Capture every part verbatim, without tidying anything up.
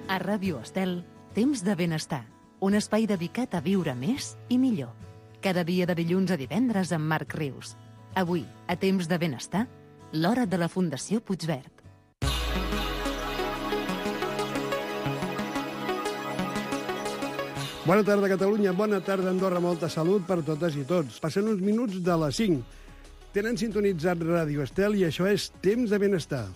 A Ràdio Estel, Temps de Benestar, un espai dedicat a viure més i millor. Cada dia de dilluns a divendres amb Marc Rius. Avui, a Temps de Benestar, l'hora de la Fundació Puigverd. Bona tarda, Catalunya. Bona tarda, Andorra. Molta salut per totes i tots. Passen uns minuts de les cinc. Tenen sintonitzat Ràdio Estel i això és Temps de Benestar.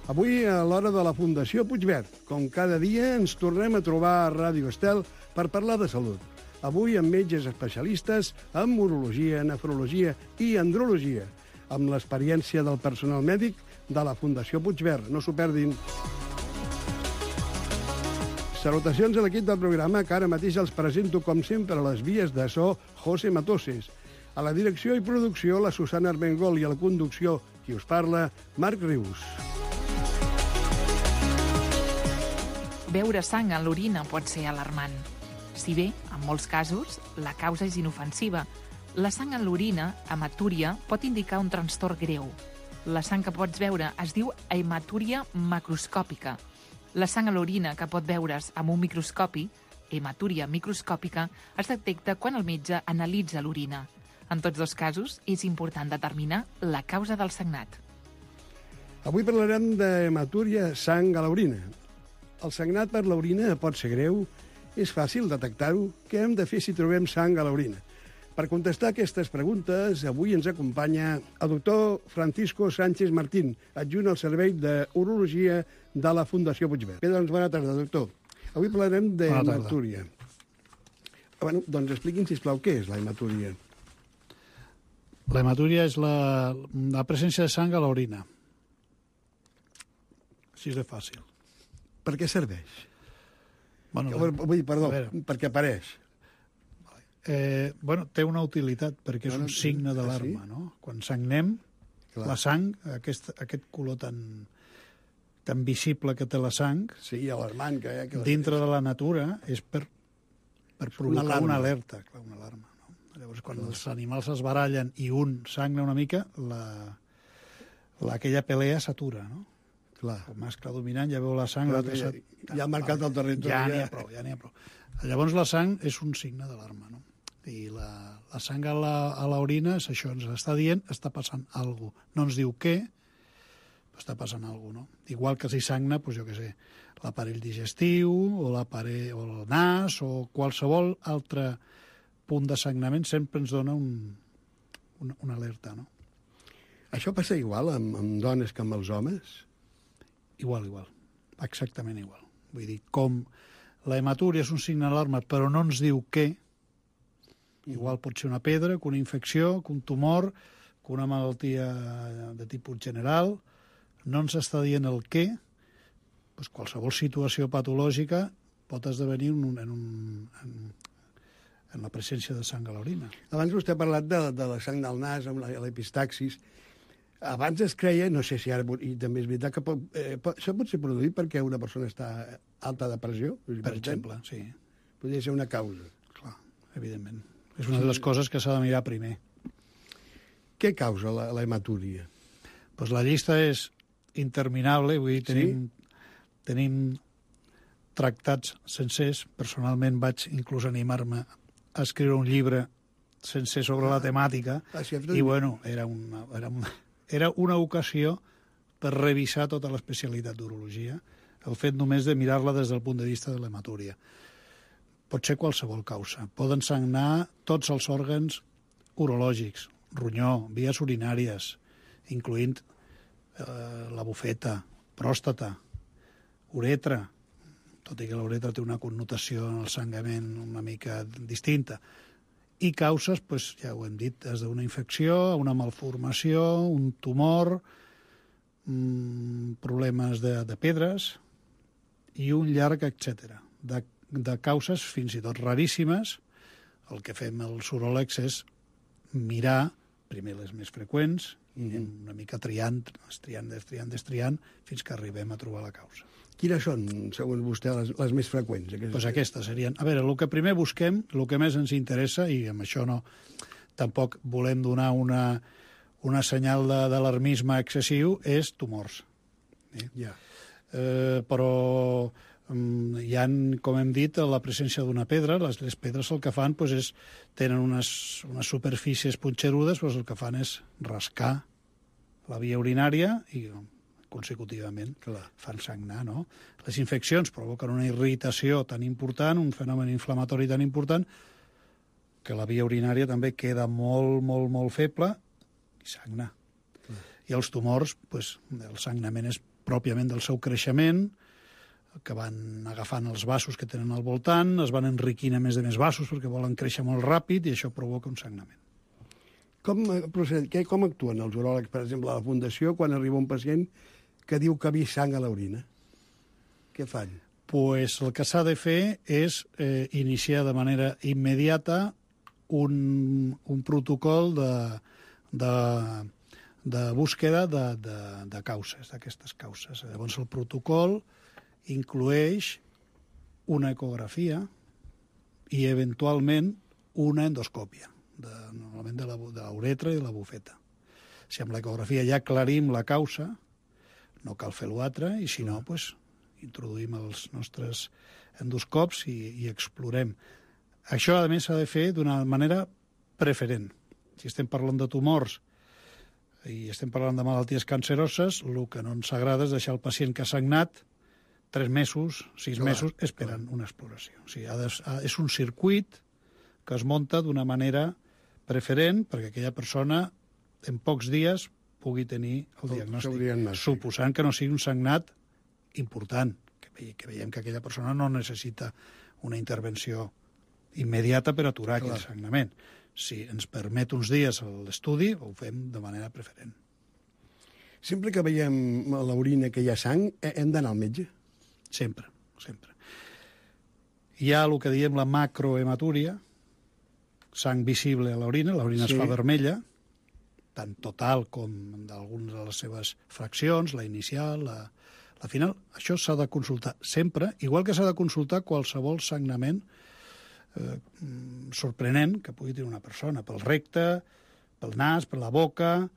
Avui, a l'hora de la Fundació Puigverd, com cada dia, ens tornem a trobar a Ràdio Estel per parlar de salut. Avui amb metges especialistes en urologia, nefrologia i andrologia, amb l'experiència del personal mèdic de la Fundació Puigverd. No s'ho perdin. Salutacions a l'equip del programa, que ara mateix els presento, com sempre, a les vies de so, José Matoses. A la direcció i producció, la Susana Armengol, i a la conducció, qui us parla, Marc Rius. Beure sang en l'orina pot ser alarmant. Si bé, en molts casos, la causa és inofensiva, la sang en l'orina, hematúria, pot indicar un trastorn greu. La sang que pots veure es diu hematúria macroscòpica. La sang a l'orina que pot veure's amb un microscopi, hematúria microscòpica, es detecta quan el metge analitza l'orina. En tots dos casos, és important determinar la causa del sagnat. Avui parlarem d'hematúria, sang a l'orina. El sagnat per l'orina pot ser greu? És fàcil detectar-ho? Què hem de fer si trobem sang a l'orina? Per contestar aquestes preguntes, avui ens acompanya el doctor Francisco Sánchez Martín, adjunt al Servei d'Urologia de la Fundació Puigverd. Bé, doncs, bona tarda, doctor. Avui parlarem d'hematúria. Bueno, doncs expliqui'm, sisplau, què és la hematúria? La hematúria és la, la presència de sang a l'orina. Així de fàcil. Per què serveix? Bueno, Vull dir, perdó, perquè apareix. Eh, bueno, té una utilitat, perquè és Bueno, un signe ah, d'alarma, sí? no? Quan sagnem, Clar. la sang, aquest, aquest color tan, tan visible que té la sang, Sí, alarmant que hi ha... Que dintre de la natura, és per, per provocar alarma. una alerta, clar, una alarma. No? Llavors, quan els animals es barallen i un sagna una mica, la, la, aquella pelea s'atura, no? Clar. El mascle dominant ja veu la sang... Clar, l'altre ja, s'ha- ja ha marcat el territori. Ja n'hi ja. ha prou, ja n'hi ha prou. Llavors la sang és un signe d'alarma, no? I la, la sang a la, a l'orina és això, ens està dient, està passant alguna cosa. No ens diu què, però està passant alguna cosa, no? Igual que si sagna, doncs jo què sé, l'aparell digestiu, o l'aparell, o el nas, o qualsevol altre punt de sagnament sempre ens dona un, una, una alerta, no? Això passa igual amb, amb dones que amb els homes? Igual, igual. Exactament igual. Vull dir, com la hematúria és un signe d'alarma, però no ens diu què, igual pot ser una pedra, que una infecció, que un tumor, que una malaltia de tipus general, no ens està dient el què, doncs qualsevol situació patològica pot esdevenir en, un, en, un, en, en la presència de sang a l'orina. Abans vostè ha parlat de, de la sang del nas, amb la- l'epistaxis. Abans es creia, no sé si ara, i també és veritat, que pot, eh, pot, això pot ser produït perquè una persona està alta de pressió? Per exemple, sí. Podria ser una causa. Clar, evidentment. És una de les coses que s'ha de mirar primer. Què causa la, la hematúria? Pues la llista és interminable, vull dir, tenim, tenim tractats sencers. Personalment vaig inclús animar-me a escriure un llibre sencer sobre la temàtica, Ah, sí, i bueno, era una, era una, era una ocasió per revisar tota l'especialitat d'urologia, el fet només de mirar-la des del punt de vista de l'hematúria. Pot ser qualsevol causa. Poden sagnar tots els òrgans urològics, ronyó, vies urinàries, incloent eh, la bufeta, pròstata, uretra, tot i que l'uretra té una connotació en el sangrament una mica distinta, i causes, doncs, ja ho hem dit, des d'una infecció, una malformació, un tumor, mmm, problemes de, de pedres i un llarg etcètera de, de causes fins i tot raríssimes. El que fem els uròlegs és mirar primer les més freqüents i una mica triant, estriant, destriant, destriant, fins que arribem a trobar la causa. Quines són, segons vostè, les, les més freqüents? Doncs pues aquestes serien... A veure, el que primer busquem, el que més ens interessa, i amb això no... Tampoc volem donar una, una senyal d'alarmisme excessiu, és tumors. Eh? Ja. eh, però um, hi ha, com hem dit, la presència d'una pedra. Les, les pedres el que fan pues, és, tenen unes, unes superfícies punxerudes, pues, el que fan és rascar la via urinària i consecutivament Clar. fan sagnar, no? Les infeccions provoquen una irritació tan important, un fenomen inflamatori tan important, que la via urinària també queda molt, molt, molt feble i sagna. Mm. I els tumors, pues, el sagnament és pròpiament del seu creixement, que van agafant els vasos que tenen al voltant, es van enriquint a més de més vasos perquè volen créixer molt ràpid i això provoca un sagnament. Com, proced... Què, com actuen els uròlegs, per exemple, a la Fundació, quan arriba un pacient que diu que ha vist sang a l'orina? Què fan? Pues el que s'ha de fer és eh, iniciar de manera immediata un, un protocol de, de, de búsqueda de, de, de causes, d'aquestes causes. Llavors el protocol inclueix una ecografia i eventualment una endoscòpia, de, normalment de la, de l'uretra i de la bufeta. Si amb l'ecografia ja aclarim la causa, no cal fer l'altre, i si no, pues, introduïm els nostres endoscops i, i explorem. Això, a més, s'ha de fer d'una manera preferent. Si estem parlant de tumors i estem parlant de malalties canceroses, el que no ens agrada és deixar el pacient que ha sagnat tres mesos, sis clar, mesos, esperant clar. Una exploració. O sigui, ha de, ha, és un circuit que es munta d'una manera preferent perquè aquella persona en pocs dies pugui tenir el diagnòstic, diagnòstic, suposant que no sigui un sagnat important, que, ve, que veiem que aquella persona no necessita una intervenció immediata per aturar clar. Aquell sagnament. Si ens permet uns dies l'estudi, ho fem de manera preferent. Sempre que veiem a l'orina que hi ha sang, hem d'anar al metge? Sempre, sempre. Hi ha el que diem la macrohematúria, sang visible a l'orina, l'orina sí. es fa vermella, tant total com d'algunes de les seves fraccions, la inicial, la, la final. Això s'ha de consultar sempre, igual que s'ha de consultar qualsevol sagnament eh, sorprenent que pugui tenir una persona, pel recte, pel nas, per la boca,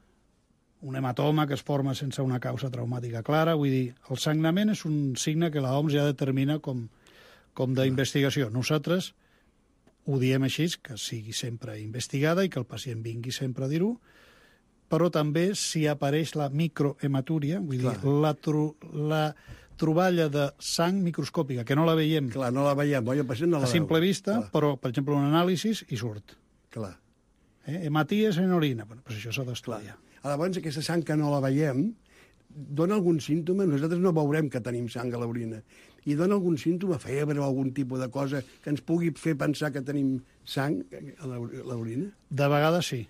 un hematoma que es forma sense una causa traumàtica clara. Vull dir, el sagnament és un signe que l'O M S ja determina com, com d'investigació. Nosaltres ho diem així, que sigui sempre investigada i que el pacient vingui sempre a dir-ho, però també si apareix la microhematúria, vull Clar. dir, la, tro la troballa de sang microscòpica, que no la veiem. Clar, no la veiem, oi? El pacient no la a simple veu. vista, Clar. però, per exemple, un anàlisi i surt. Clar. Eh? Hematies en orina. Bueno, doncs això s'ha d'estudiar. Llavors, aquesta sang que no la veiem, dona algun símptoma? Nosaltres no veurem que tenim sang a l'orina. I dona algun símptoma, febre o algun tipus de cosa que ens pugui fer pensar que tenim sang a l'orina? De vegades sí,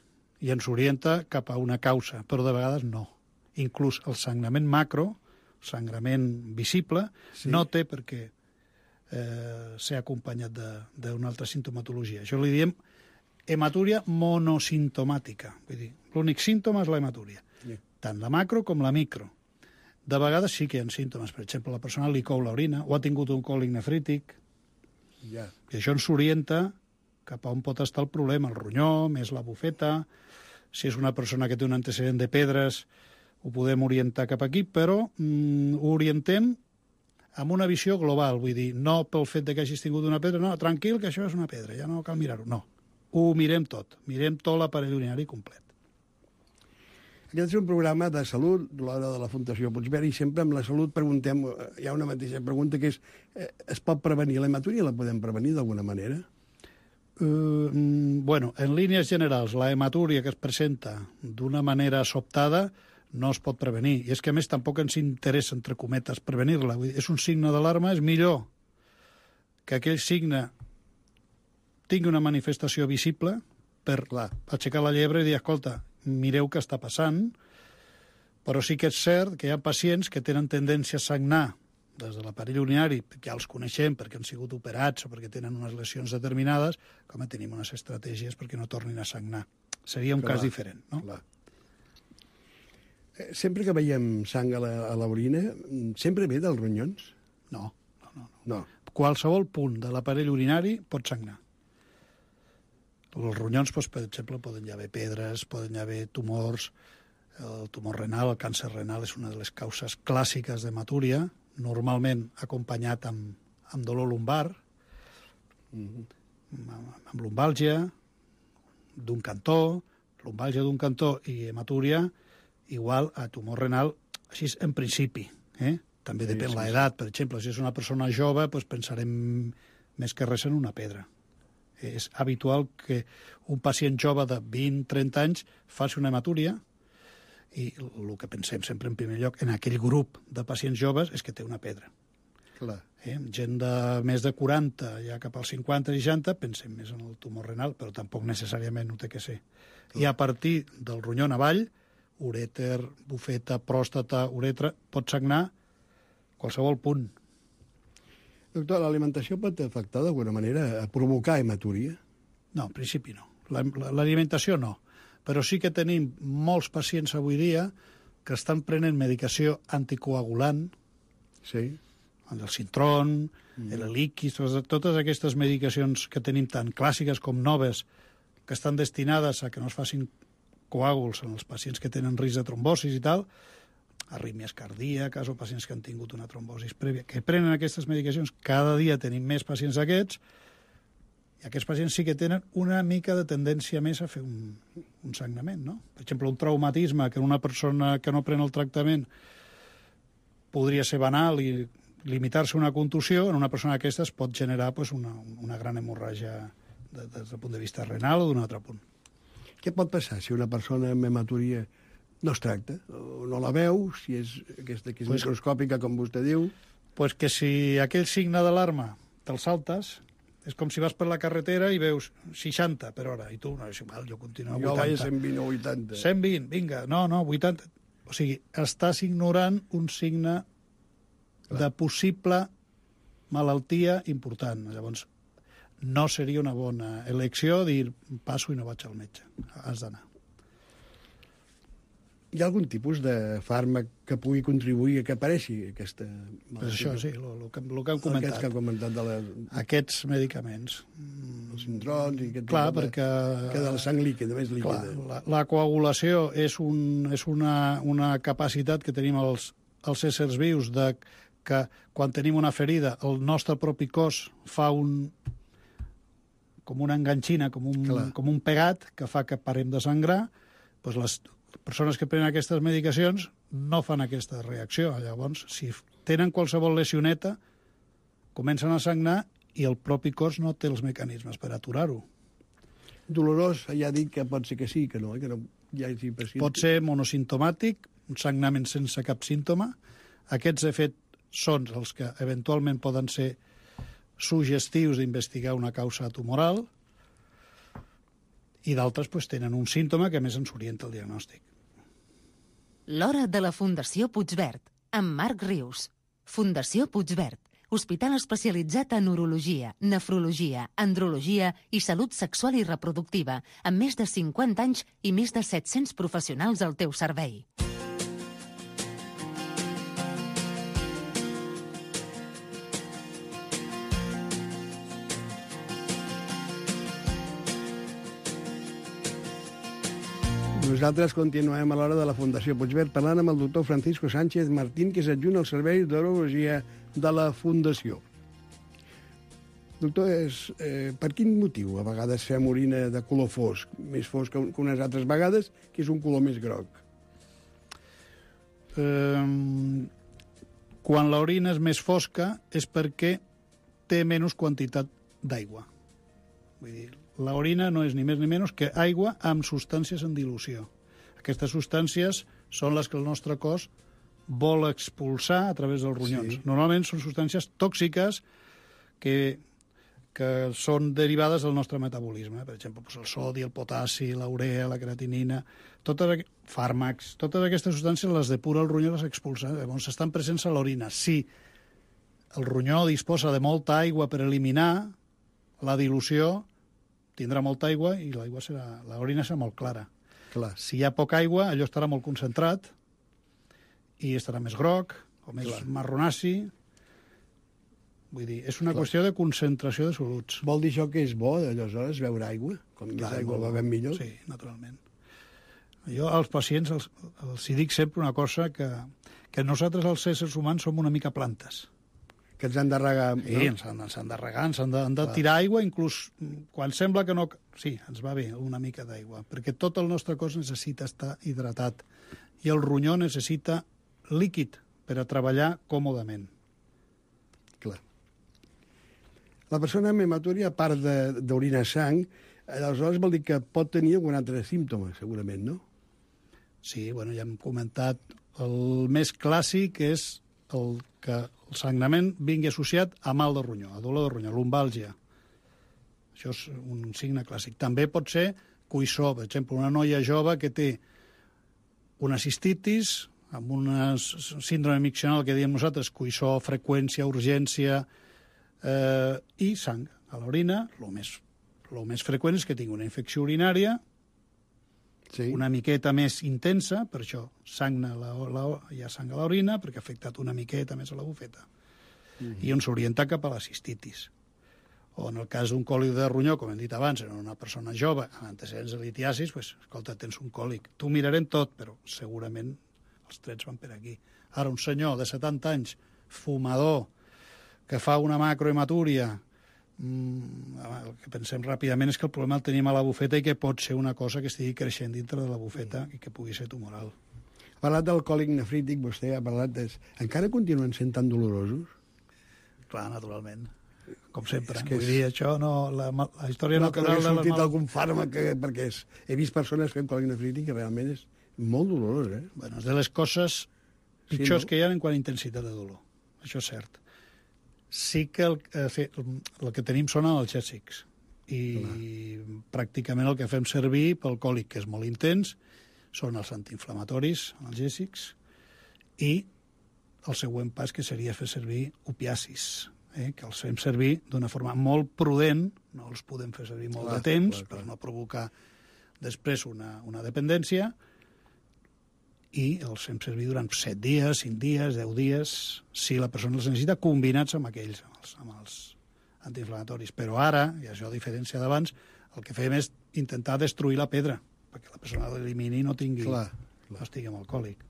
i ens orienta cap a una causa, però de vegades no. Inclús el sagnament macro, sangrament visible, sí. no té per què eh, ser acompanyat d'una altra sintomatologia. Això li diem hematúria monosimptomàtica. Vull dir, l'únic símptoma és la hematúria, sí. tant la macro com la micro. De vegades sí que hi ha símptomes. Per exemple, la persona li cou l'orina o ha tingut un còlic nefrític. Ja. I això ens orienta cap a on pot estar el problema, el ronyó, més la bufeta. Si és una persona que té un antecedent de pedres, ho podem orientar cap aquí, però mm, ho orientem amb una visió global. Vull dir, no pel fet de que hagis tingut una pedra, no, tranquil, que això és una pedra, ja no cal mirar-ho. No, ho mirem tot. Mirem tot l'aparell urinari complet. Aquest és un programa de salut, l'hora de la Fundació Puigverd, i sempre amb la salut preguntem, hi ha una mateixa pregunta que és, eh, es pot prevenir l'hematúria? La podem prevenir d'alguna manera? Uh, bueno, en línies generals, la hematúria que es presenta d'una manera sobtada no es pot prevenir. I és que, a més, tampoc ens interessa, entre cometes, prevenir-la. És un signe d'alarma, és millor que aquell signe tingui una manifestació visible per Clar. aixecar la llebre i dir, escolta, mireu què està passant, però sí que és cert que hi ha pacients que tenen tendència a sagnar des de l'aparell urinari, que ja els coneixem perquè han sigut operats o perquè tenen unes lesions determinades, com tenim unes estratègies perquè no tornin a sagnar. Seria un Clar. cas diferent, no? Clar. Sempre que veiem sang a l'orina, sempre ve dels ronyons? No, no, no. no. Qualsevol punt de l'aparell urinari pot sagnar. Els ronyons, doncs, per exemple, poden hi haver pedres, poden hi haver tumors, el tumor renal, el càncer renal és una de les causes clàssiques d'hematúria, normalment acompanyat amb, amb dolor lumbar, mm-hmm. amb, amb lumbàlgia d'un cantó, lumbàlgia d'un cantó i hematúria igual a tumor renal, així en principi. Eh? També sí, depèn sí, l'edat. Per exemple, si és una persona jove, doncs pensarem més que res en una pedra. És habitual que un pacient jove de vint a trenta anys faci una hematúria i el que pensem sempre en primer lloc en aquell grup de pacients joves és que té una pedra. Clar. Eh? Gent de més de quaranta, ja cap als cinquanta i seixanta, pensem més en el tumor renal, però tampoc necessàriament ho té que ser. Clar. I a partir del ronyó avall, urèter, bufeta, pròstata, uretra, pot sagnar qualsevol punt. Doctor, l'alimentació pot afectar d'alguna manera a provocar hematúria? No, en principi no. L'alimentació no. Però sí que tenim molts pacients avui dia que estan prenent medicació anticoagulant, sí. el Sintron, mm. l'Eliquis, totes aquestes medicacions que tenim tan clàssiques com noves, que estan destinades a que no es facin coàguls en els pacients que tenen risc de trombosis i tal, arrítmies cardíaques o pacients que han tingut una trombosis prèvia, que prenen aquestes medicacions. Cada dia tenim més pacients d'aquests, i aquests pacients sí que tenen una mica de tendència més a fer un, un sagnament, no? Per exemple, un traumatisme que una persona que no pren el tractament podria ser banal i limitar-se a una contusió, en una persona d'aquestes pot generar pues, una, una gran hemorràgia de, des del punt de vista renal o d'un altre punt. Què pot passar si una persona amb hematúria no es tracta, o no la veu, si és aquesta que és pues, microscòpica, com vostè diu? Pues que si aquell signe d'alarma te'l saltes, és com si vas per la carretera i veus seixanta per hora, i tu, no, és igual, jo continuo a vuitanta. Jo vaig a cent vint o vuitanta. cent vint, vinga, no, no, vuitanta. O sigui, estàs ignorant un signe Clar. de possible malaltia important. Llavors, no seria una bona elecció dir passo i no vaig al metge. Has d'anar. Hi ha algun tipus de fàrmac que pugui contribuir a que apareixi aquesta malaltia? Pues això, sí, el que, lo que hem comentat. Aquests que han comentat de la... Aquests medicaments. Els Sintrons i aquest Clar, tipus perquè... de... Que de la sang líquida, més líquida. Clar, la, la coagulació és, un, és una, una capacitat que tenim els, els éssers vius de que quan tenim una ferida el nostre propi cos fa un... com una enganxina, com un, com un pegat que fa que parem de sangrar, doncs les persones que prenen aquestes medicacions no fan aquesta reacció. Llavors, si tenen qualsevol lesioneta, comencen a sagnar i el propi cos no té els mecanismes per aturar-ho. Dolorós, ja ha dit que pot ser que sí, que no, que no hi hagi pacient. Pot ser monosimptomàtic, un sagnament sense cap símptoma. Aquests, de fet, són els que eventualment poden ser suggestius d'investigar una causa tumoral, i d'altres pues, tenen un símptoma que més ens orienta el diagnòstic. L'hora de la Fundació Puigverd, amb Marc Rius. Fundació Puigverd, hospital especialitzat en urologia, nefrologia, andrologia i salut sexual i reproductiva, amb més de cinquanta anys i més de set-cents professionals al teu servei. Nosaltres continuem a l'hora de la Fundació Puigverd parlant amb el doctor Francisco Sánchez Martín, que és adjunt al Servei d'Urologia de la Fundació. Doctor, és, eh, per quin motiu a vegades fem orina de color fosc, més fosc que unes altres vegades, que és un color més groc? Eh, quan l'orina és més fosca és perquè té menys quantitat d'aigua. Vull dir, l'orina no és ni més ni menys que aigua amb substàncies en dilució. Aquestes substàncies són les que el nostre cos vol expulsar a través dels ronyons. Sí. Normalment són substàncies tòxiques que, que són derivades del nostre metabolisme. Per exemple, doncs el sodi, el potassi, la urea, la creatinina, totes, fàrmacs, totes aquestes substàncies les depura el ronyó i les expulsa. Llavors estan presents a l'orina. Si el ronyó disposa de molta aigua per eliminar la dilució, tindrà molta aigua i l'aigua serà, l'orina serà molt clara. Clar. Si hi ha poca aigua, allò estarà molt concentrat i estarà més groc o més Clar. marronaci. Vull dir, és una Clar. qüestió de concentració de soluts. Vol dir això que és bo, aleshores, beure aigua? Com més aigua bevem millor? Sí, naturalment. Jo als pacients els, els hi dic sempre una cosa que, que nosaltres, els éssers humans, som una mica plantes. Que ens han de regar... Sí, no? ens han, ens han de regar, ens han de, han de tirar aigua, inclús quan sembla que no... Sí, ens va bé una mica d'aigua, perquè tot el nostre cos necessita estar hidratat i el ronyó necessita líquid per a treballar còmodament. Clar. La persona amb hematúria, a part d'orinar sang, aleshores vol dir que pot tenir algun altre símptoma, segurament, no? Sí, bueno, ja hem comentat, el més clàssic és el que el sagnament vingui associat a mal de ronyó, a dolor de ronyó, lumbàlgia. Això és un signe clàssic. També pot ser cuissó, per exemple, una noia jove que té una cistitis, amb una síndrome miccional que diem nosaltres, cuissó, freqüència, urgència, eh, i sang a l'orina. El més, el més freqüent és que tingui una infecció urinària, sí, una miqueta més intensa, per això sagna la, la, hi ha sang a l'orina, perquè ha afectat una miqueta més a la bufeta. Mm-hmm. I on s'orienta cap a la cistitis. O en el cas d'un còlic de ronyó, com hem dit abans, en una persona jove amb antecedents de litiasis, pues, escolta, tens un còlic. T'ho mirarem tot, però segurament els trets van per aquí. Ara, un senyor de setanta anys, fumador, que fa una macrohematúria, el que pensem ràpidament és que el problema el tenim a la bufeta i que pot ser una cosa que estigui creixent dintre de la bufeta i que pugui ser tumoral. Ha parlat del còlic nefrític, vostè ha parlat de... Encara continuen sent tan dolorosos? Clar, naturalment. Com sempre. És que és... Vull dir, això no... La, la història no, natural... No, que no ha sortit mal... algun fàrmac, que, perquè és... he vist persones fent còlic nefrític que realment és molt dolorós, eh? Bueno, és de les coses pitjors sí, no? que hi ha en quant a intensitat de dolor. Això és cert. Sí que el, eh, el que tenim són analgèsics i Clar. Pràcticament el que fem servir pel còlic, que és molt intens, són els antiinflamatoris analgèsics i el següent pas que seria fer servir opiacis, eh, que els fem servir d'una forma molt prudent, no els podem fer servir molt clar, de temps clar, clar. Per no provocar després una, una dependència, i els fem servir durant set dies, cinc dies, deu dies, si la persona els necessita, combinats amb aquells, amb els, amb els antiinflamatoris. Però ara, i això a diferència d'abans, el que fem és intentar destruir la pedra, perquè la persona l'elimini i no tingui, clar, clar. no estigui amb alcohòlic.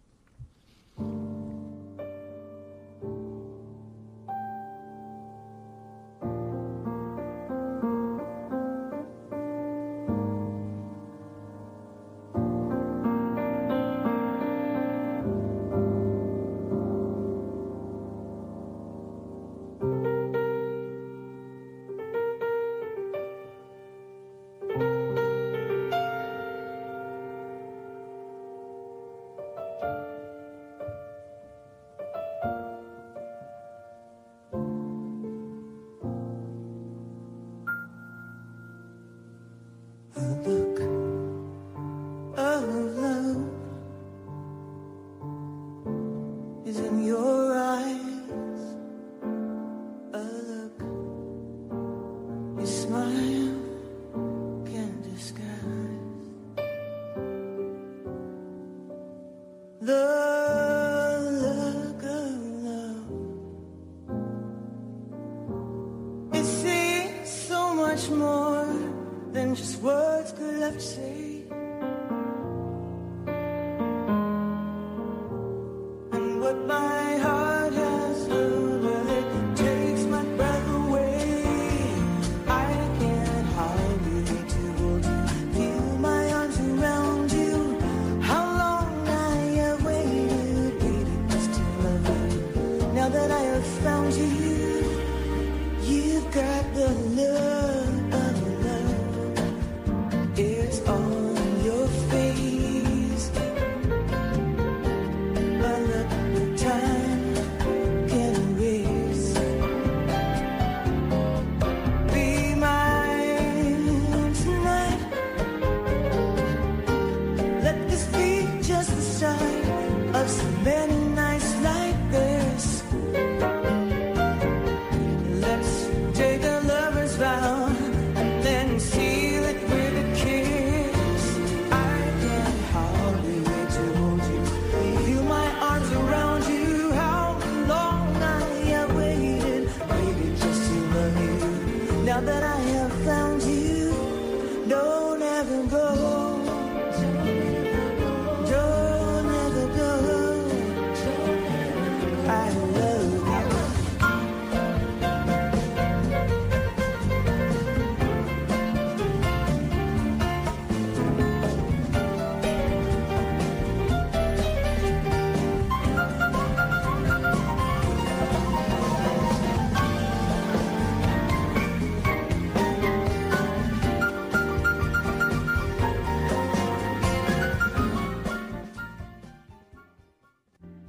The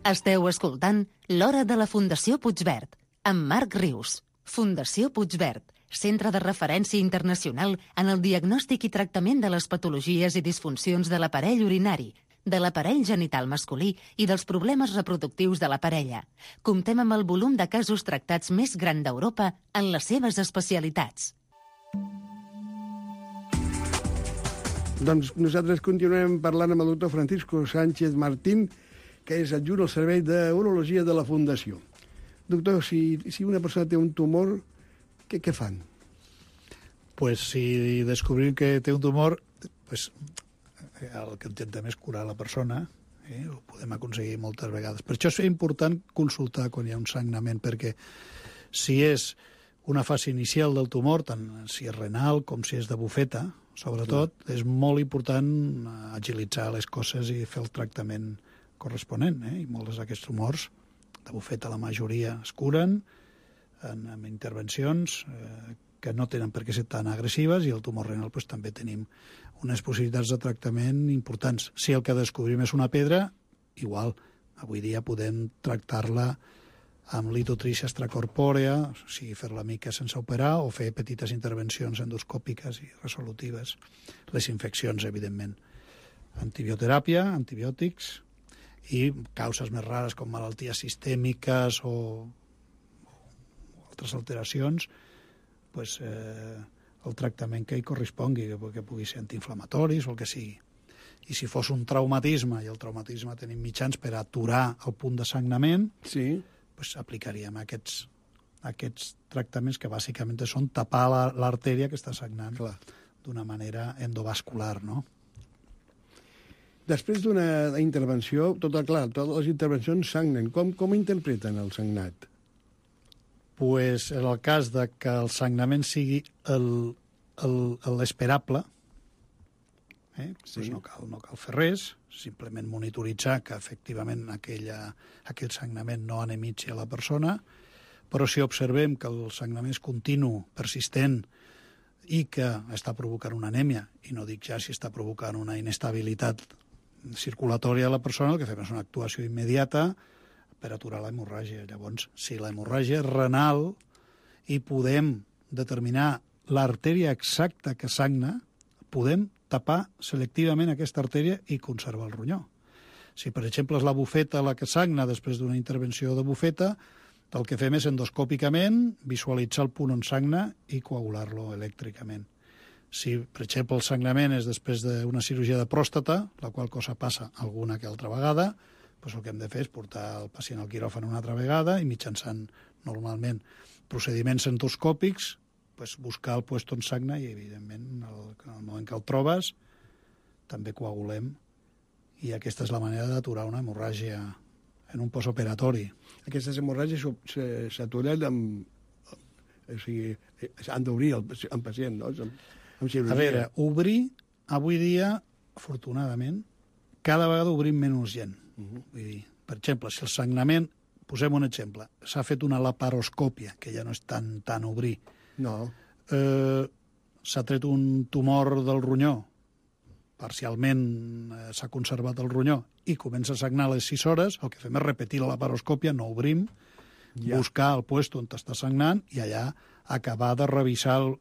Esteu escoltant L'Hora de la Fundació Puigverd, amb Marc Rius. Fundació Puigverd, centre de referència internacional en el diagnòstic i tractament de les patologies i disfuncions de l'aparell urinari, de l'aparell genital masculí i dels problemes reproductius de la parella. Comptem amb el volum de casos tractats més gran d'Europa en les seves especialitats. Doncs nosaltres continuem parlant amb el doctor Francisco Sánchez Martín, que és adjunt al Servei d'Urologia de la Fundació. Doctor, si, si una persona té un tumor, què, què fan? Pues si descobrim que té un tumor, pues, el que intentem és curar la persona, eh? Ho podem aconseguir moltes vegades. Per això és important consultar quan hi ha un sagnament, perquè si és una fase inicial del tumor, tant si és renal com si és de bufeta, sobretot, clar, és molt important agilitzar les coses i fer el tractament corresponent, eh? I molts d'aquests tumors de bufeta, la majoria es curen en, en intervencions eh, que no tenen per què ser tan agressives, i el tumor renal pues, també tenim unes possibilitats de tractament importants. Si el que descobrim és una pedra, igual, avui dia podem tractar-la amb litotrícia extracorpòrea, o sigui, fer-la mica sense operar, o fer petites intervencions endoscòpiques i resolutives. Les infeccions, evidentment. Antibioteràpia, antibiòtics, i causes més rares com malalties sistèmiques o, o altres alteracions, pues, eh, el tractament que hi correspongui, que, que pugui ser antiinflamatoris o el que sigui. I si fos un traumatisme, i el traumatisme tenim mitjans per aturar el punt de sagnament, sí, pues aplicaríem aquests, aquests tractaments que bàsicament són tapar l'artèria que està sagnant d'una manera endovascular, no? Després d'una intervenció, tot clar, totes les intervencions sagnen. Com, com interpreten el sagnat? Pues en el cas de que el sagnament sigui l'esperable, eh? Sí. Pues no cal, no cal fer res, simplement monitoritzar que efectivament aquella, aquell sagnament no anemitzi a la persona, però si observem que el sagnament és continu, persistent, i que està provocant una anèmia, i no dic ja si està provocant una inestabilitat circulatòria a la persona, el que fem és una actuació immediata per aturar la hemorràgia. Llavors, si la hemorràgia és renal i podem determinar l'artèria exacta que sagna, podem tapar selectivament aquesta artèria i conservar el ronyó. Si, per exemple, és la bufeta la que sagna després d'una intervenció de bufeta, el que fem és endoscòpicament visualitzar el punt on sagna i coagular-lo elèctricament. Si, per exemple, el sagnament és després d'una cirurgia de pròstata, la qual cosa passa alguna que altra vegada, doncs el que hem de fer és portar el pacient al quiròfan una altra vegada i mitjançant, normalment, procediments endoscòpics, pues, buscar el lloc on sagna i, evidentment, el, en el moment que el trobes, també coagulem. I aquesta és la manera d'aturar una hemorràgia en un postoperatori. Aquestes hemorràgies s'aturen amb... O sigui, han d'obrir el, el pacient, no? Amb cirurgia. A veure, obrir, avui dia, afortunadament, cada vegada obrim menys gent. Uh -huh. Vull dir, per exemple, si el sagnament, posem un exemple, s'ha fet una laparoscòpia, que ja no és tan, tan obrir, no. eh, s'ha tret un tumor del ronyó, parcialment eh, s'ha conservat el ronyó i comença a sagnar a les sis hores, el que fem és repetir la laparoscòpia, no obrim, ja. Buscar el lloc on està sagnant i allà acabar de revisar el,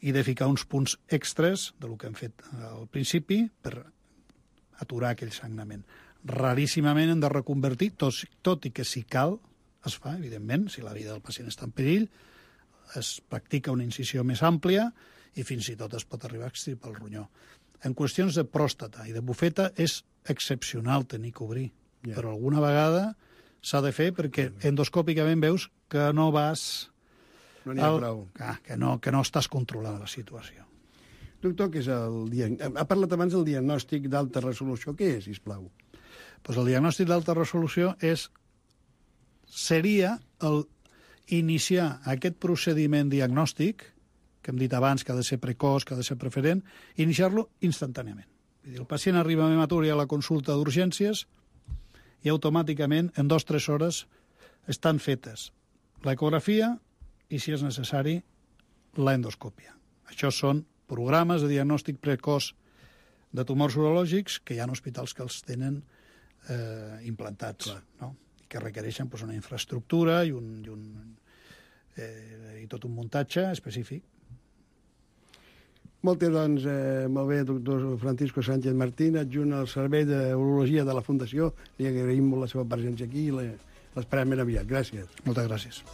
i de ficar uns punts extres del que hem fet al principi per aturar aquell sagnament. Raríssimament hem de reconvertir, tot, tot i que si cal, es fa, evidentment, si la vida del pacient està en perill, es practica una incisió més àmplia i fins i tot es pot arribar a extirpar el ronyó. En qüestions de pròstata i de bufeta és excepcional tenir que obrir, yeah. Però alguna vegada s'ha de fer perquè endoscòpicament veus que no vas... No n'hi ha el... prou. Ah, que, no, que no estàs controlant la situació. Doctor, què és el diag... ha parlat abans del diagnòstic d'alta resolució. Què és, sisplau? Pues el diagnòstic d'alta resolució és... seria el iniciar aquest procediment diagnòstic, que hem dit abans que ha de ser precoç, que ha de ser preferent, iniciar-lo instantàniament. Vull dir, el pacient arriba a hematúria a la consulta d'urgències i automàticament, en dues o tres hores, estan fetes l'ecografia i, si és necessari, l'endoscòpia. Això són programes de diagnòstic precoç de tumors urològics que hi ha hospitals que els tenen eh, implantats, clar, no? Que requereixen pues, una infraestructura i, un, i, un, eh, i tot un muntatge específic. Molt bé, doncs, eh, molt bé, doctor Francisco Sánchez Martín, adjunt al Servei d'Urologia de la Fundació. Li agraïm molt la seva presència aquí i l'esperem ben aviat. Gràcies. Moltes gràcies.